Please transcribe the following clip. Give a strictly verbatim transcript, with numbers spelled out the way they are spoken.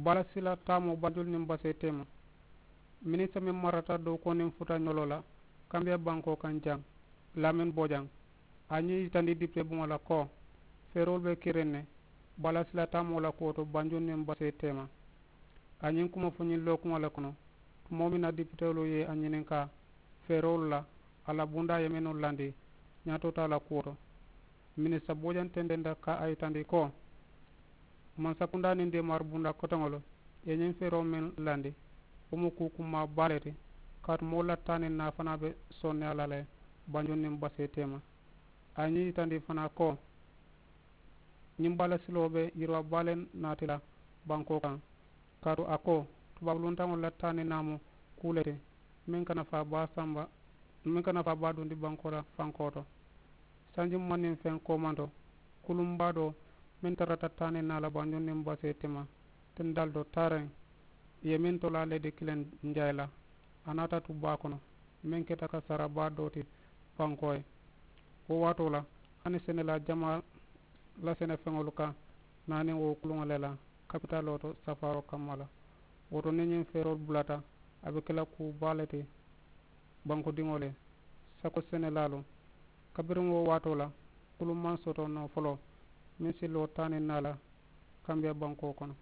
Baalasila taamoo banjulu niŋ basee teema. Minisita meŋ marata dookuwo niŋ futa ñoloo la kambiya bankoo kaŋ jaŋ, lamin bojaŋ, a ye ñiŋ yitandi dipitee buŋo la ko, feeroolu be kiriŋ ne baalasila taamoo la kuwo to banjulu niŋ basee teema. A ye ñiŋ kuma fo ñiŋ lookuŋo le kono tumoo meŋ na dipiteelu ye a ñininkaa feeroolu la, a la bundaa ye mennu landi ñaatoota la kuwo to. Minisita bojaŋ tententa ka a yitandi ko, mansakundaa niŋ deemaari bundaa koteŋolu ye ñiŋ feeroo meŋ landi, wo mu kuu kumaa baa le ti. Kaatu moolu la taa niŋ naa fanaa be sonneyaa la le banjulu niŋ basee teema. A ye ñiŋ yitandi fanaa ko, ñiŋ baalasiloo be yiriwaa baa le naati la bankoo kaŋ. Kaatu a ko, tubaabu luntaŋolu la taa niŋ naa mu kuu le ti meŋ ka nafaa baa samba, meŋ ka nafaa baa dundi bankoo la fankoo to. Sanji mumaŋ niŋ feŋ koomanto, kuluŋ baa doo meŋ tarata taa niŋ naa la banjulu niŋ basee teema, tindaalu to taariŋ, ì ye meŋ tolaa le di kiliŋ njaayi la, a naata tu baa kono, meŋ keta ka sara baa doo ti bankoo ye. Wo waatoo la, hani senelaa jamaa la senefeŋolu ka naa niŋ wo kuluŋo le la kapitaaloo to safaaroo kamma la. Wo to niŋ ñiŋ feeroolu bulata, a be ke la kuu baa le ti bankudiŋolu ye. Sako senelaalu, kabiriŋ wo waatoo la, kuluŋ maŋ soto noo foloo meŋ si loo taa niŋ naa la kambiya bankoo kono.